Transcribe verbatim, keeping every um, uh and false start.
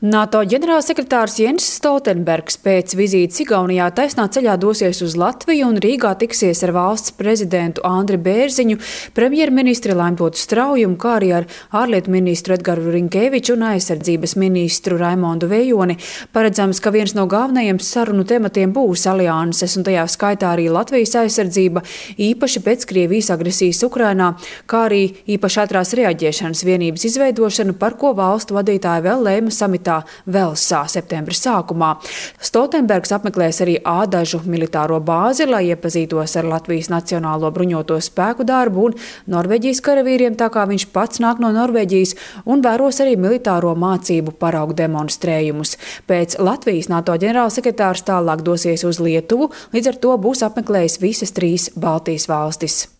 NATO ģenerālsekretārs Jens Stoltenbergs pēc vizītes Igaunijā taisnā ceļā dosies uz Latviju un Rīgā tiksies ar valsts prezidentu Andri Bērziņu, premjerministri Laimpotu Straujumu, kā arī ar ārlietu ministru Edgaru Rinkēviču un aizsardzības ministru Raimondu Vējoni. Paredzams, ka viens no galvenajiem sarunu tematiem būs alianses un tajā skaitā arī Latvijas aizsardzība, īpaši pēc Krievijas agresijas Ukrainā, kā arī īpaši ātrās reaģēšanas vienības izveidošanu, par ko valstu vadītāji vēl lēma samitā Velsā septembra sākumā. Stoltenbergs apmeklēs arī Ādažu militāro bāzi, lai iepazītos ar Latvijas Nacionālo bruņoto spēku darbu un Norvēģijas karavīriem, tā kā viņš pats nāk no Norvēģijas, un vēros arī militāro mācību paraugu demonstrējumus. Pēc Latvijas NATO ģenerālsekretārs tālāk dosies uz Lietuvu, līdz ar to būs apmeklējis visas trīs Baltijas valstis.